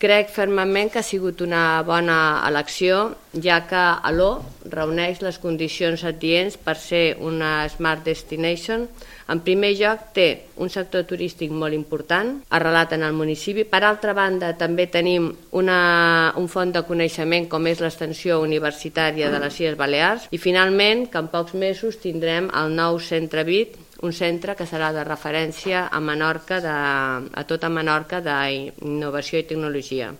Crec fermament que ha sigut una bona elecció, ja que Aló reuneix les condicions adients per ser una Smart Destination. En primer lloc, té un sector turístic molt important, arrelat en el municipi. Per altra banda, també tenim un font de coneixement com és l'extensió universitària de les Illes Balears. I finalment, que en pocs mesos tindrem el nou centre BIT, un centre que serà de referència a Menorca, a tota Menorca, d'innovació i tecnologia.